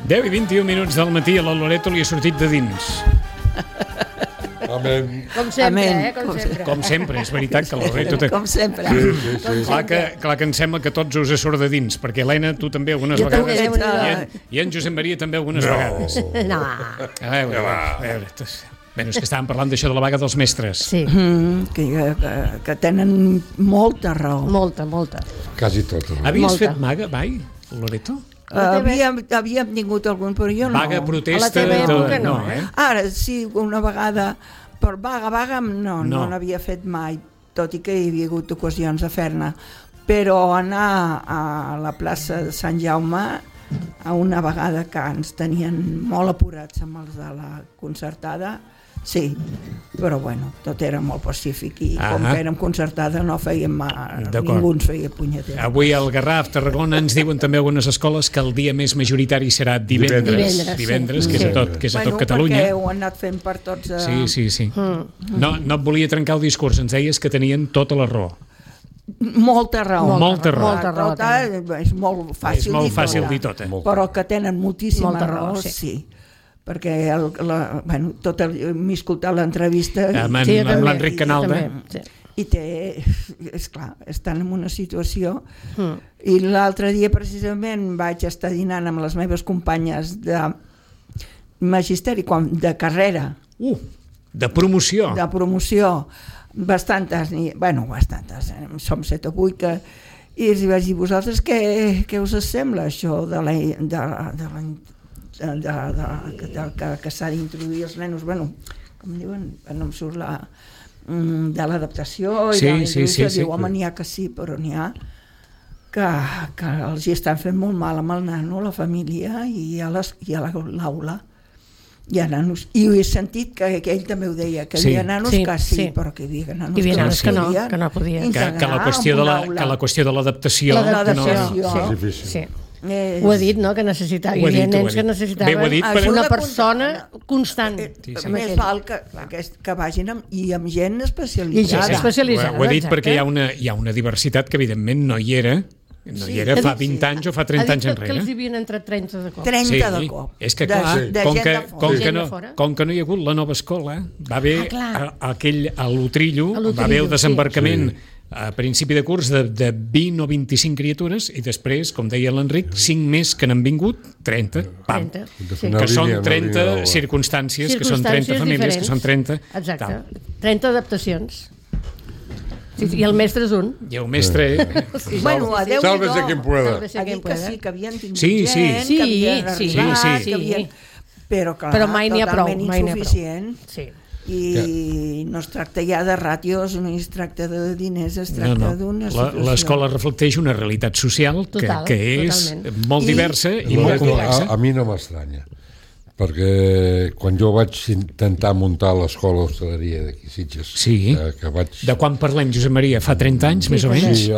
10:21 del matí, a la Loreto li ha sortit de dins. Amén. Com sempre, Amén. Com sempre. Com sempre, és veritat que la Loreto... Com sempre. Sí. Clar que em sembla que tots us surt de dins, perquè Helena, tu també algunes Jo vegades... també, I en Josep Maria també algunes vegades. No. A veure, bueno, és que estàvem parlant d'això de la vaga dels mestres. Sí, Que tenen molta raó. molta. Quasi tot. Havies Molta. fet vaga, mai, Loreto? Havíem tingut algun, però jo no. Vaga, protesta... A la teva època no, Ara sí, una vegada, per vaga, no n'havia fet mai, tot i que hi havia hagut ocasions de fer-ne. Però anar a la plaça de Sant Jaume a una vegada que ens tenien molt apurats amb els de la concertada, sí, però bueno, tot era molt pacífic i com que érem concertada no fèiem mal, ningú ens feia punyetera. Avui al Garraf, Tarragona, ens diuen també algunes escoles que el dia més majoritari serà divendres, que és a tot Catalunya. Perquè ho han anat fent per tots... Sí. No et volia trencar el discurs, ens deies que tenien tota la raó. Molta raó. És molt fàcil dir tot. Però que tenen moltíssima Molta raó, raó, sí. Perquè m'he escoltat l'entrevista amb l'Enric Canalda i esclar, estan en una situació i l'altre dia precisament vaig estar dinant amb les meves companyes de magisteri, de carrera de promoció bastantes, som 7 o 8 i els vaig dir, vosaltres què us sembla això que s'ha d'introduir els nenos, com diuen, no em surt de l'adaptació i de la introducció, diu, home, n'hi ha que sí, però n'hi ha que els hi estan fent molt mal amb el nano, la família i a l'aula. Hi ha nanos, i ho he sentit que ell també ho deia, que hi havia nanos que sí, però que hi havia nanos que no podien que la qüestió de l'adaptació sí. Ho ha dit, no?, que necessitava, hi havia nens que necessitaven una persona constant. Més val que vagin amb gent especialitzada. Ho he dit perquè hi ha una diversitat que evidentment no hi era fa 20 anys o fa 30 anys enrere. Que els hi havien entrat 30 de cop. 30 de cop. És que clar, com que no hi ha hagut la nova escola, va haver a l'Utrillo, va haver el desembarcament a principi de curs de 20 o 25 criatures i després, com deia l'Enric, 5 més que n'han vingut, 30, pam. Que són 30 circumstàncies, que són 30 famílies, que són 30... Exacte, 30 adaptacions. I el mestre és un. I el mestre... Sálvese quien pueda. Ha dit que sí, que havien tingut gent, que havien arribat, però mai n'hi ha prou. Insuficient. I no es tracta ja de ràtios, no es tracta de diners, es tracta d'una situació. L'escola reflecteix una realitat social que és molt diversa i molt complexa. A mi no m'estranya, perquè quan jo vaig intentar muntar l'escola d'hostaleria d'aquí Sitges... De quan parlem, Josep Maria? Fa 30 anys, més o menys? Sí,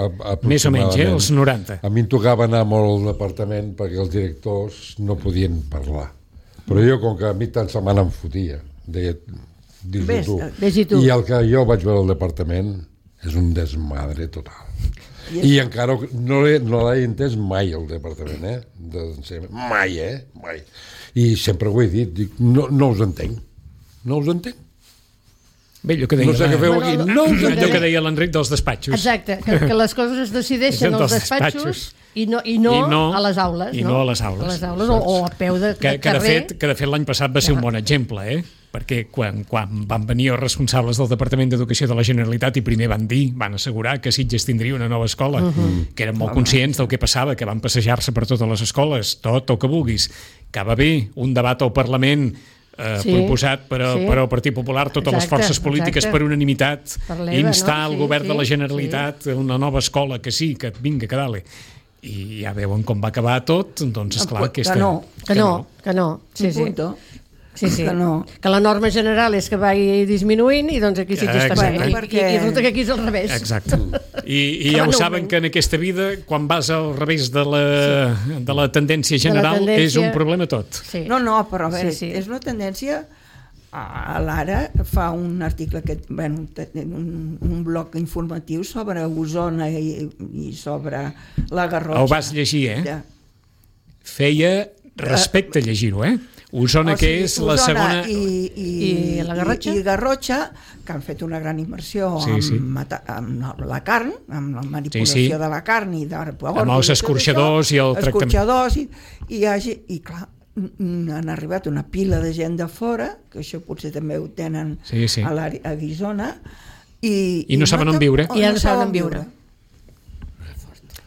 més o menys, els 90. A mi em tocava anar molt al departament perquè els directors no podien parlar. Però jo, com que a mi tant se me n'enfotia, deia... Vés-hi tu. I el que jo vaig veure al departament és un desmadre total. I encara no l'he entès mai el departament, mai. I sempre ho he dit, dic, no us entenc. Bé, allò que deia, no sé què feu aquí. Allò que deia l'Enric dels despatxos. Exacte, que les coses es decideixen als despatxos i no a les aules. I no a les aules. A les aules o a peu de carrer. Que de fet l'any passat va ser un bon exemple, perquè quan van venir els responsables del Departament d'Educació de la Generalitat i primer van assegurar que Sitges tindria una nova escola, que eren molt conscients del que passava, que van passejar-se per totes les escoles, tot el que vulguis, que va haver un debat al Parlament proposat per al Partit Popular, totes les forces polítiques per unanimitat, instar el govern de la Generalitat a una nova escola, que sí, que vinga, que dale. I ja veuen com va acabar tot, doncs esclar que no. Sí. Que la norma general és que vagi disminuint i doncs aquí sí que està bé. I resulta que aquí és al revés. Exacte. I ja ho saben que en aquesta vida, quan vas al revés de la tendència general, és un problema tot. No, però a veure, és una tendència... L'Ara fa un article, un bloc informatiu sobre Osona i sobre la Garrotxa. Ho vas llegir, Feia respecte a llegir-ho, Osona, que és la segona... I la Garrotxa? I Garrotxa, que han fet una gran immersió amb la carn, amb la manipulació de la carn i amb els escorxadors i el tractament. Escorxadors i clar, han arribat una pila de gent de fora, que això potser també ho tenen a Guissona, i no saben on viure. I no saben viure.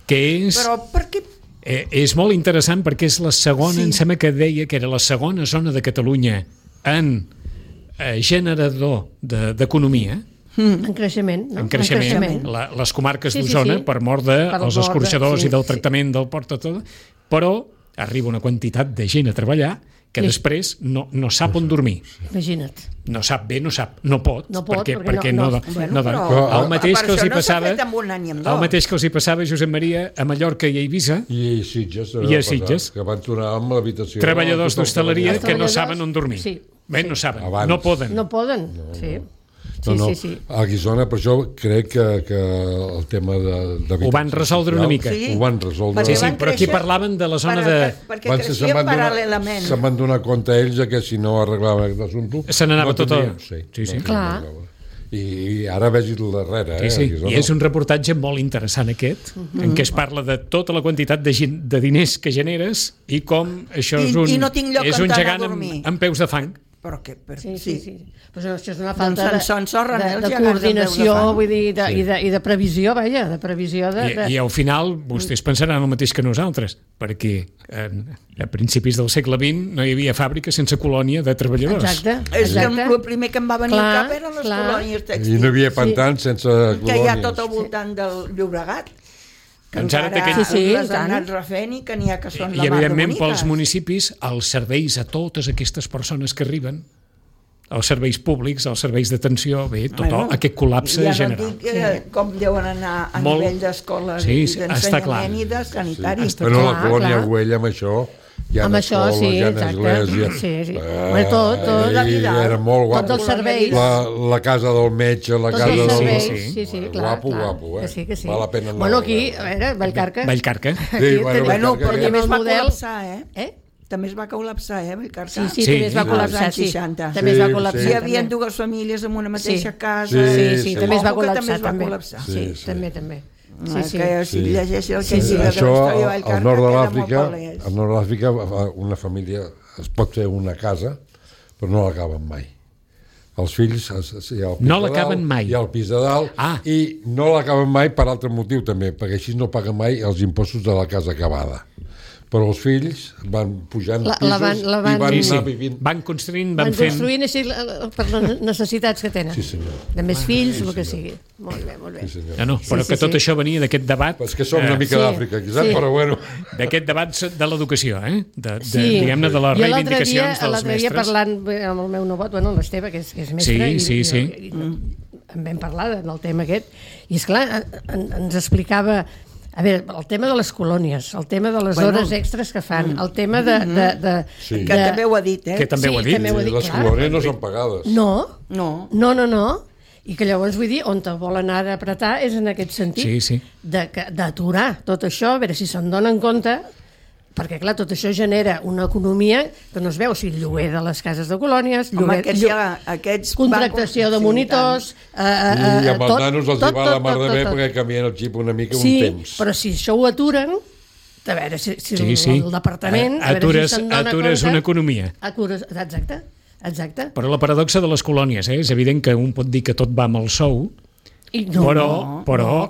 Que és... Però per què? És molt interessant perquè és la segona, em sembla que deia que era la segona zona de Catalunya en generador d'economia. En creixement, no? En creixement. Les comarques d'Osona, per mort dels escorxadors i del tractament del port, però arriba una quantitat de gent a treballar que després no sap on dormir. Imagina't. No sap bé, no pot, perquè no. El mateix que els hi passava a Josep Maria a Mallorca i a Eivissa i a Sitges, que van tornar amb l'habitació. Treballadors d'hostaleria que no saben on dormir. Bé, no saben, no poden. No poden, sí. Sí. A Guissona, per això crec que el tema d'habitació ho van resoldre una mica. Ho van resoldre. Sí, però aquí parlaven de la zona de... Perquè creixien paral·lelament. Se'n van donar compte ells que si no arreglaven aquest assumpte... Se n'anava tot a... Sí. Clar. I ara vegis el darrere. I és un reportatge molt interessant aquest, en què es parla de tota la quantitat de diners que generes i com això és un gegant amb peus de fang. Sí. Però això és una falta de coordinació, vull dir, i de previsió, vaja, de previsió de... I al final vostès pensaran el mateix que nosaltres, perquè a principis del segle XX no hi havia fàbrica sense colònia de treballadors. Exacte. És que el primer que em va venir al cap eren les colònies tèxtils. I no hi havia pantans sense colònies. Que hi ha tot al voltant del Llobregat. Que encara les han anat refent i que n'hi ha que són la mar de boniques. I evidentment pels municipis els serveis a totes aquestes persones que arriben, els serveis públics, els serveis d'atenció, aquest col·lapse general. Ja no dic com deuen anar a nivell d'escoles i d'ensenyament i de sanitari. Però la colònia Güell amb això... Amb això, sí, exacte. Tot. Era molt guapo. Tots els serveis. La casa del metge, la casa del... Tots els serveis, sí, clar. Guapo, Que sí. Val la pena anar. Bueno, aquí, a veure, Vallcarca. Sí, bueno, però també es va col·lapsar, També es va col·lapsar, Vallcarca? Sí, també es va col·lapsar, sí. També es va col·lapsar. Hi havia dues famílies en una mateixa casa. Sí, també es va col·lapsar. Sí, també. Que si llegeixi el que llibre de la història de Vallcarca, al nord d'Àfrica una família es pot fer una casa però no l'acaben mai. Els fills no l'acaben mai. Hi ha el pis de dalt i no l'acaben mai per altre motiu també, perquè així no paguen mai els impostos de la casa acabada. Però els fills van pujant pisos i van anar vivint. Van construint així per les necessitats que tenen. Sí, senyor. De més fills, el que sigui. Molt bé. Sí, però que tot això venia d'aquest debat... És que som una mica d'Àfrica, però bueno... D'aquest debat de l'educació, diguem-ne, de les reivindicacions dels mestres. L'altre dia parlant amb el meu nebot, l'Esteve, que és mestre, i en vam parlar del tema aquest, i esclar, ens explicava... A veure, el tema de les colònies, el tema de les hores extres que fan, el tema de... Que també ho ha dit, Que també ho ha dit. Les colònies no són pagades. No. I que llavors, vull dir, on te volen anar d'apretar és en aquest sentit, d'aturar tot això, a veure si se'n donen compte, perquè, clar, tot això genera una economia que no es veu, si lloguer de les cases de colònies, contractació de monitors... I amb els nanos els hi va la mar de bé perquè canvien el xip una mica un temps. Sí, però si això ho aturen, a veure si el departament... Atures una economia. Exacte. Però la paradoxa de les colònies, és evident que un pot dir que tot va amb el sou, però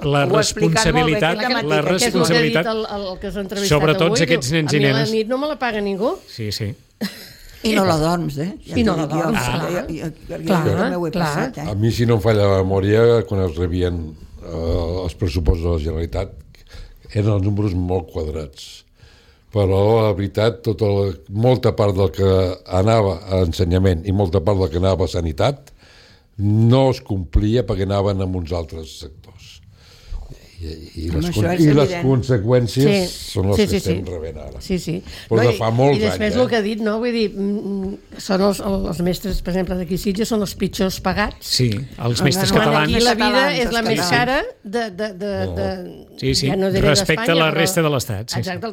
la responsabilitat sobretot aquests nens i nenes, a la nit no me la paga ningú. Sí. I no la dorms, I no la dorms, clar. A mi, si no em falla la memòria, quan es rebien els pressupostos de la Generalitat, eren els números molt quadrats. Però, la veritat, molta part del que anava a ensenyament i molta part del que anava a sanitat no es complia perquè anaven amb uns altres sectors. I les conseqüències són les que estem rebent ara. Però de fa molts anys. I després el que ha dit, no? Vull dir, són els mestres, per exemple, d'aquí Sitges, són els pitjors pagats. Sí, els mestres catalans. Aquí la vida és la més cara respecte a la resta de l'Estat. Exacte,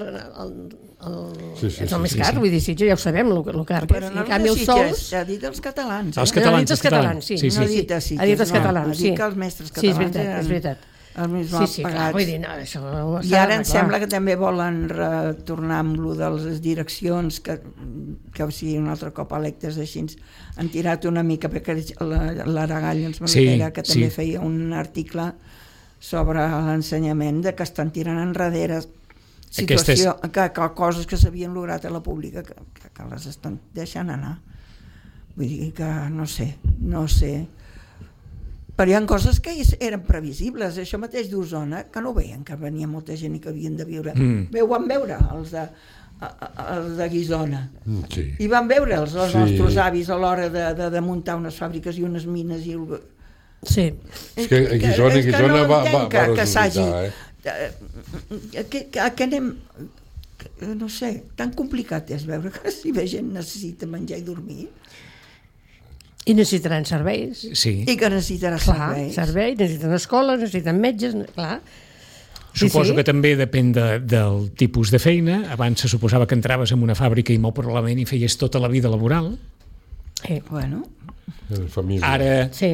és el més car, vull dir, Sitges ja ho sabem, el car que és. Però no de Sitges, ha dit els catalans. Els catalans, sí. No ha dit a Sitges, ha dit els catalans, sí. Ha dit que els mestres catalans és veritat. Els més mal pagats. Vull dir, no, això i ara em sembla que també volen retornar amb lo de les direccions que sigui un altre cop electes així. Han tirat una mica, perquè l'Aragall ens que també feia un article sobre l'ensenyament de que estan tirant enrere situació, que coses que s'havien lograt a la pública que les estan deixant anar. Vull dir que no sé. Però hi ha coses que eren previsibles. Això mateix d'Osona, que no veien que venia molta gent i que havien de viure. Ho van veure, els de Guissona. I van veure els nostres avis a l'hora de muntar unes fàbriques i unes mines. Sí. És que a Guissona va resultar, que anem... No sé, tan complicat és veure que si la gent necessita menjar i dormir... I necessitaran serveis. Sí. I que necessitarà serveis. Necessiten escoles, necessiten metges, clar. Suposo que també depèn del tipus de feina. Abans se suposava que entraves en una fàbrica i molt probablement hi feies tota la vida laboral. Bueno. Ara... Sí.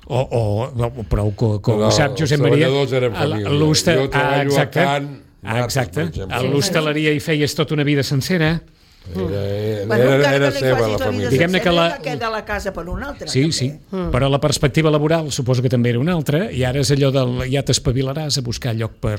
Però com sap Josep Maria... Els treballadors eren família. Jo treballo a Can... Exacte. A l'hostaleria hi feies tota una vida sencera. Era seva la família. Diguem-ne que de la casa per una altra. Sí. Però la perspectiva laboral suposo que també era una altra i ara és allò del ja t'espavilaràs a buscar lloc per...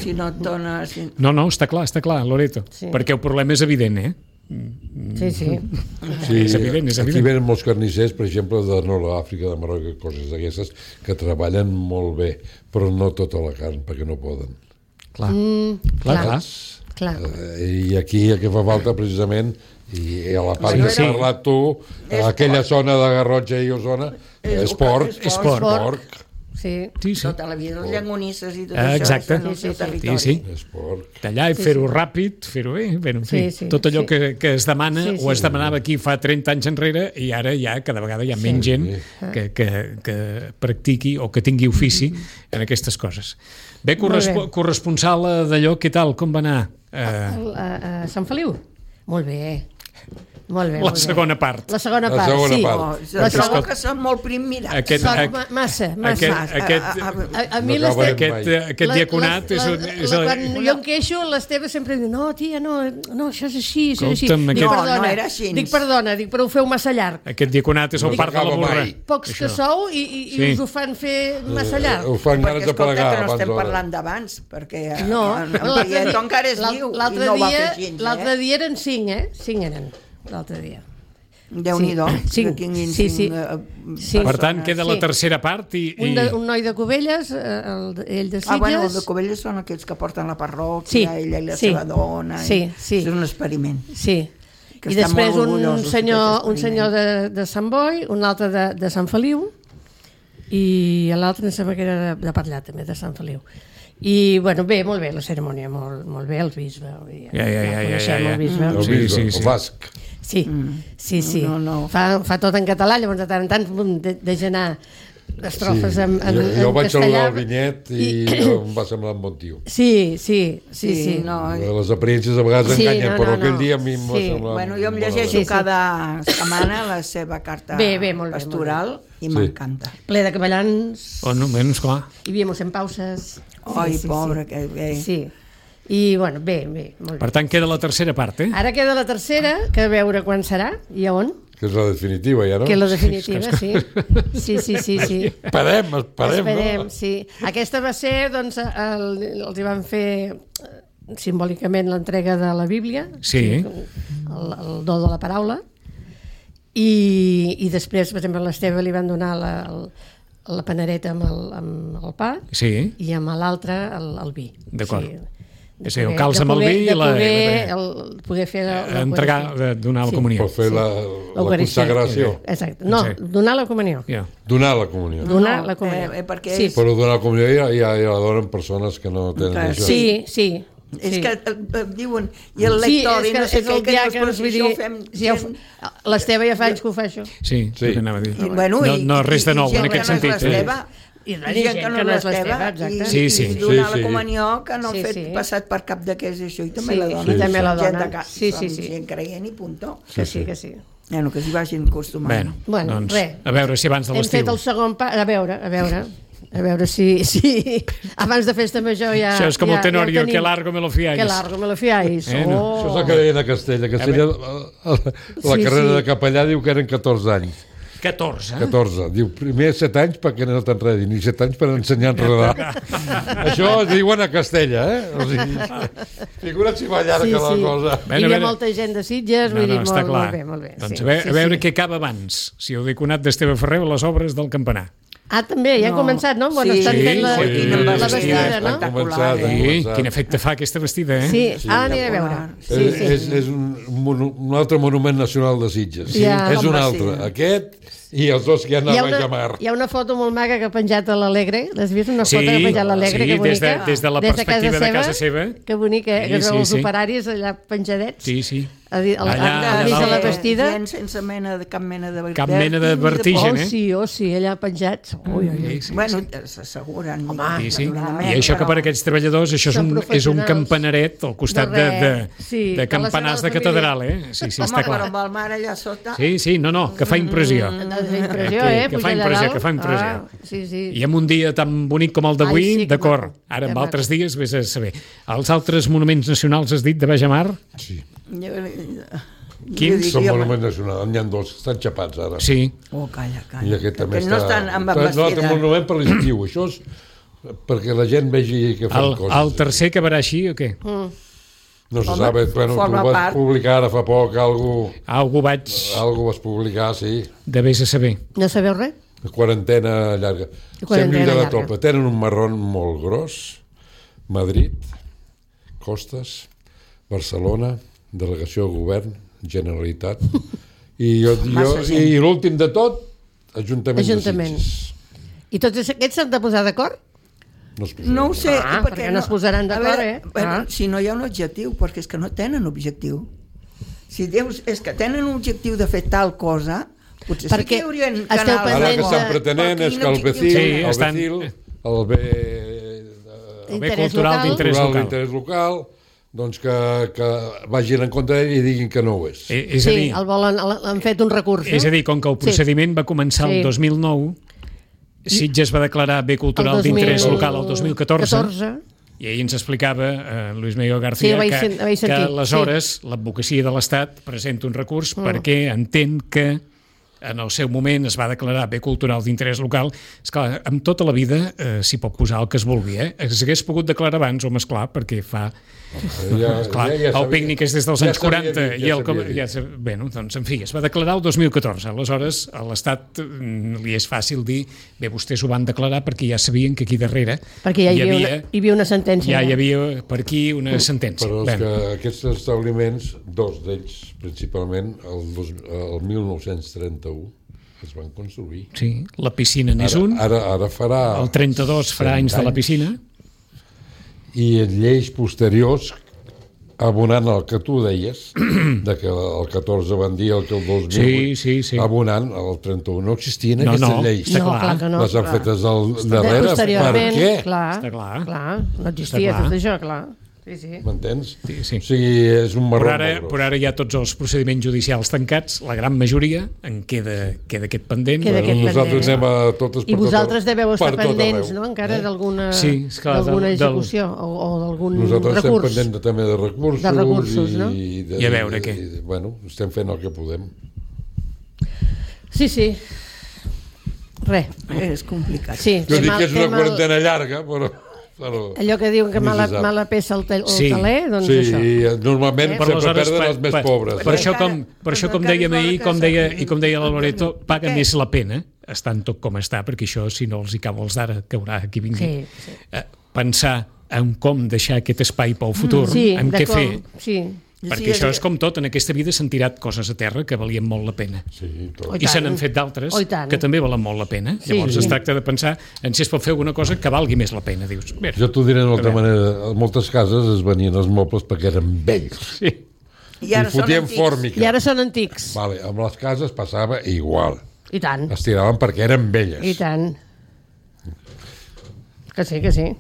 Si no et dona... No, està clar, Loreto. Perquè el problema és evident, Sí. És evident. Aquí venen molts carnissers, per exemple, de Nord-Àfrica, de Marroc, coses d'aquestes, que treballen molt bé, però no tota la carn, perquè no poden. Clar. I aquí el que fa falta precisament, i a la part que has parlat tu, aquella zona de Garrotxa i Osona, és porc. Sí. Tota la vida, les llangonisses i tot això en el seu territori. És porc. Tallar i fer-ho ràpid, fer-ho bé, tot allò que es demana o es demanava aquí fa 30 anys enrere i ara ja cada vegada hi ha menys gent que practiqui o que tingui ofici en aquestes coses. Bé, corresponsal d'allò, què tal, com va anar? A Sant Feliu? Molt bé. La segona part. La segona part. Trobo que són molt primmirats. Massa. A mi aquest diaconat és... Quan jo em queixo, l'Esteve sempre diu no, tia, no, això és així, No era així. Dic, perdona, però ho feu massa llarg. Aquest diaconat és el part de la burra. Pocs que sou i us ho fan fer massa llarg. Ho fan ganes de plegar. Perquè no estem parlant d'abans, perquè en Prieto encara és viu i no ho va fer gens. L'altre dia eren 5, 5 eren. L'altre dia. Déu-n'hi-do. Sí. Per tant, queda la tercera part i... Un noi de Cubelles, ell de Sitges... Els de Cubelles són aquells que porten la parròquia, ella i la seva dona... Sí. És un experiment. Sí. I després un senyor de Sant Boi, un altre de Sant Feliu, i l'altre em sembla que era de Parllà, també, de Sant Feliu. I, bueno, molt bé la cerimònia, molt bé, el bisbe. El bisbe, el basc. Sí. Fa tot en català, llavors de tant en tant deixa anar estrofes en castellà. Jo vaig saludar el vinyet i em va semblar un bon tio. Sí. Les apariències a vegades enganyen, però aquell dia a mi em va semblar... Bueno, jo em llegeixo cada setmana la seva carta pastoral i m'encanta. Ple de capellans. Menys clar. I viemos en pauses. Ai, pobre, que bé. Sí. I, bueno, bé, molt bé. Per tant, queda la tercera part, Ara queda la tercera, que a veure quan serà i a on. Que és la definitiva, ja, no? Que és la definitiva, sí. Esperem, no? Sí. Aquesta va ser, doncs, els hi van fer simbòlicament l'entrega de la Bíblia, el do de la paraula, i després, per exemple, a l'Esteve li van donar la panereta amb el pa i amb l'altre el vi. D'acord. El calç amb el vi i poder fer entregar, donar la comunió. Per fer consagració. Exacte. No, donar la comunió. Donar la comunió. Donar la comunió. Però donar la comunió ja la donen persones que no tenen això. Sí. És que diuen, i el lector, i no sé què, que l'exposició ho fem... L'Esteve ja fa anys que ho fa, això. Sí, anava a dir. No, res de nou, en aquest sentit. I gent que no és l'Esteve, exacte. I donar la comunió, que no ha fet passat per cap de què és això, i també la dona. I també la dona. Gent creient i punto. Que sí. Bueno, que s'hi vagin acostumant. Bueno, res. A veure si abans de l'estiu... Hem fet el segon pas, a veure si abans de festa major ja... Això és com el Tenorio, que largo me lo fiáis. Que largo me lo fiáis. Això és el que deien a Castella. La carrera de capellà diu que eren 14 anys. 14. Diu, primer 7 anys perquè no t'enredin, i 7 anys per ensenyar a enredar. Això es diuen a Castella, O sigui, figura't si va llarga la cosa. Hi havia molta gent de Sitges, vull dir, molt bé. Doncs a veure què acaba abans, si heu diconat d'Esteve Ferrer o les obres del campanar. També, ja ha començat, no? Bueno, estan fent la vestida, no? Sí, quin efecte fa aquesta vestida, Sí, aniré a veure. És un altre monument nacional de Sitges. És un altre. Aquest i els dos que hi ha a Baixamar. Hi ha una foto molt maca que ha penjat a l'Alegre. L'has vist? Una foto que ha penjat a l'Alegre, que bonica. Des de la perspectiva de casa seva. Que bonica, que veu els operaris allà penjadets. Sí. Al mig de la vestida. Sense cap mena de cap mena de vertigen, sí, allà penjats. Bueno, s'asseguren. I això que per aquests treballadors això és un campanaret al costat de campanars de catedral, Sí, està clar. Home, però amb el mar allà sota... Sí, no, que fa impressió. Que fa impressió. I en un dia tan bonic com el d'avui, d'acord. Ara, en altres dies, vés a saber. Els altres monuments nacionals, has dit, de Baixamar? Sí. Quins? Són monuments nacionals, n'hi ha dos, estan xapats ara. Sí. Calla. I aquest també no estan amb embestida. No, l'altre monument per l'estiu, això és perquè la gent vegi que fan coses. El tercer acabarà així o què? No se sabe, bueno, tu vas publicar ara fa poc algú vas publicar, sí. De vés a saber. No sabeu res? Quarantena llarga. Sembla de la topa. Tenen un marrón molt gros, Madrid, Costes, Barcelona, delegació de govern, Generalitat, i l'últim de tot, Ajuntament de Sitges. I tots aquests s'han de posar d'acord? No ho sé, perquè no es posaran d'acord, si no hi ha un objectiu, perquè és que no tenen objectiu. Si dius, és que tenen un objectiu de fer tal cosa, potser sí que hi haurien canals... Ara que estan pretenent és que el bé cultural d'interès local, doncs que vagin en contra i diguin que no ho és. Sí, han fet un recurs. És a dir, com que el procediment va començar el 2009, Sitges va declarar bé cultural d'interès local el 2014, i ahir ens explicava Luis Miguel García que aleshores l'advocacia de l'Estat presenta un recurs perquè entén que en el seu moment es va declarar bé cultural d'interès local. Esclar, amb tota la vida s'hi pot posar el que es vulgui, S'hagués pogut declarar abans, home, esclar, perquè fa... el pícnic és des dels anys 40 i bueno, doncs, en fi, es va declarar el 2014. Aleshores, a l'Estat li és fàcil dir, bé, vostès ho van declarar perquè ja sabien que aquí darrere perquè hi havia una sentència. Ja hi havia per aquí una sentència. Però és que aquests establiments, dos d'ells principalment, el 1931 es van construir. Sí, la piscina n'és un. Ara farà... El 32 farà anys de la piscina. I en lleis posteriors, abonant el que tu deies, de que el 14 van dir el que el 2008, abonant el 31. No existien aquestes lleis. Les han fetes darrere. Per què? Està clar. No existia tot això, clar. Sí. M'entens? Sí. O sigui, és un marró molt gros. Per ara hi ha tots els procediments judicials tancats, la gran majoria en queda aquest pendent. Nosaltres anem a totes per I vosaltres deveu estar pendents, no?, encara d'alguna execució o d'algun recurs. Nosaltres estem pendents també de recursos, no? I a veure què. Bueno, estem fent el que podem. Sí. Res. És complicat. Jo dic que és una quarantena llarga, però... Allò que diuen que mala peça al taler, doncs això. Sí, normalment sempre perden els més pobres. Per això com dèiem ahir, com deia la Loreto, paga més la pena, estant tot com està, perquè això, si no els hi cau els d'ara, caurà qui vingui. Pensar en com deixar aquest espai pel futur, en què fer. Perquè això és com tot, en aquesta vida s'han tirat coses a terra que valien molt la pena. Sí, tot. I se n'han fet d'altres que també valen molt la pena. Llavors es tracta de pensar en si es pot fer alguna cosa que valgui més la pena. Dius, jo t'ho diré d'una altra manera. A moltes cases es venien els mobles perquè eren vells. Sí. I fotien fòrmica. I ara són antics. Vale, amb les cases passava igual. I tant. Es tiraven perquè eren velles. I tant. Que sí, que sí.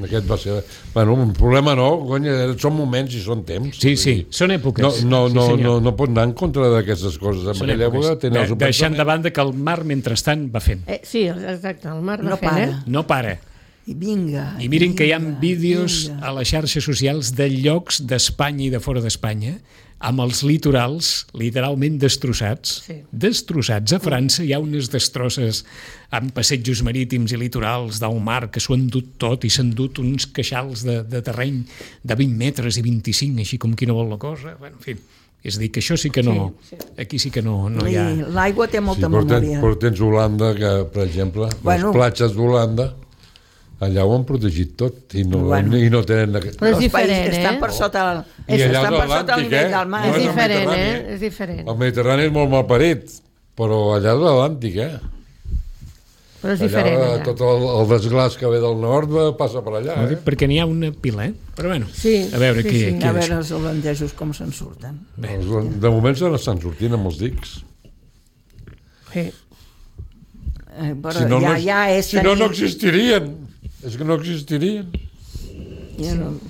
Aquest va ser... Bueno, un problema no, conya, són moments i són temps. Sí, són èpoques. No pot anar en contra d'aquestes coses. En aquella època tenia el deixant de banda que el mar, mentrestant, va fent. Sí, exacte, el mar va fent. No para. I vinga. I miren que hi ha vídeos a les xarxes socials de llocs d'Espanya i de fora d'Espanya amb els litorals literalment destrossats. Destrossats. A França hi ha unes destrosses amb passejos marítims i litorals del mar que s'ho han dut tot i s'han dut uns queixals de terreny de 20 metres i 25, així com qui no vol la cosa. Bueno, en fi, és a dir, que això sí que no... Aquí sí que no hi ha... L'aigua té molta memòria. Però tens Holanda, que, per exemple, les platges d'Holanda, allà ho han protegit tot i no tenen... Però és diferent, estan per sota el nivell del mar. És diferent, és diferent. El Mediterrani és molt malparit, però allà és l'Atlàntic, Però és diferent, allà. Tot el desglàs que ve del nord passa per allà, Perquè n'hi ha una pila, Però bueno, a veure qui a veure els holandesos com se'n surten. De moment se n'estan sortint amb els dics. Sí. Però si no existirien. És que no existirien.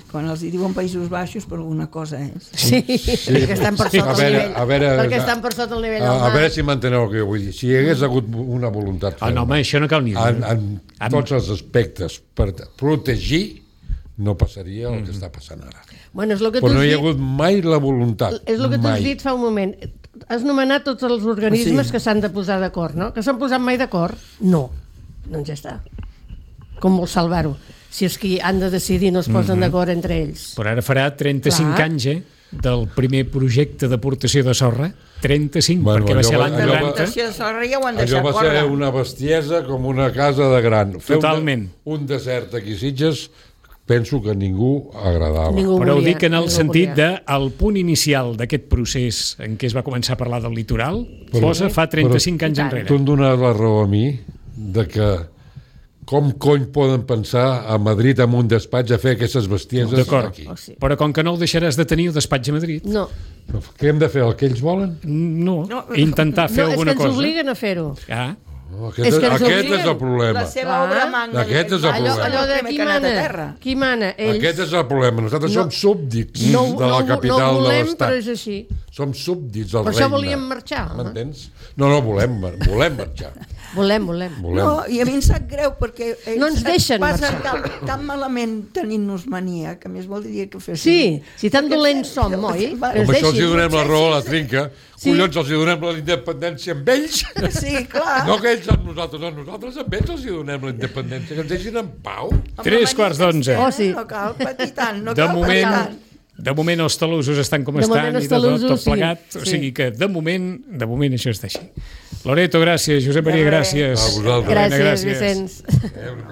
Quan els diuen Països Baixos, per alguna cosa és. Sí, perquè estan per sota el nivell. Perquè estan per sota el nivell del mar. A veure si m'enteneu el que jo vull dir. Si hi hagués hagut una voluntat ferma... home, això no cal ni dir. En tots els aspectes, per protegir, no passaria el que està passant ara. Bueno, però no hi ha hagut mai la voluntat. És el que tu has dit fa un moment. Has nomenat tots els organismes que s'han de posar d'acord, no? Que s'han posat mai d'acord? No. Doncs ja està. Com vol salvar-ho? Si és que han de decidir no es posen d'acord entre ells. Però ara farà 35 anys, del primer projecte d'aportació de sorra. 35, perquè va ser l'any 90. L'aportació de sorra ja ho han deixat fora. Allò va ser una bestiesa com una casa de gran. Totalment. Un desert aquí Sitges, penso que ningú agradava. Però ho dic en el sentit del punt inicial d'aquest procés en què es va començar a parlar del litoral, posa fa 35 anys enrere. Tu em dones la raó a mi de que com cony poden pensar a Madrid amb un despatx a fer aquestes bestieses aquí? Però com que no el deixaràs de tenir el despatx a Madrid... No. Què hem de fer, el que ells volen? No, intentar fer alguna cosa. És que ens obliguen a fer-ho. Aquest és el problema. La seva obra magna. Aquest és el problema. Allò de qui mana? Aquest és el problema. Nosaltres som súbdits de la capital de l'Estat. Però és així. Som súbdits del regne. Per això volíem marxar. M'entens? No, volem marxar. Volem. No, i a mi em sap greu perquè no ens deixen marxar. Tan malament tenint-nos mania, que més voldria que fessin. Sí, si tan dolents som, oi? Amb això els donem la raó a la trinca. Collons, els donem la independència amb ells? Sí, clar. No que ells amb nosaltres, nosaltres amb ells els donem la independència, que ens deixin en pau. 3:45. Oh, sí. No cal patir tant, no cal patir tant. De moment els talussos estan com estan i tot plegat, o sigui que de moment això està així. Loreto, gràcies. Josep Maria, gràcies. Gràcies, Vicenç.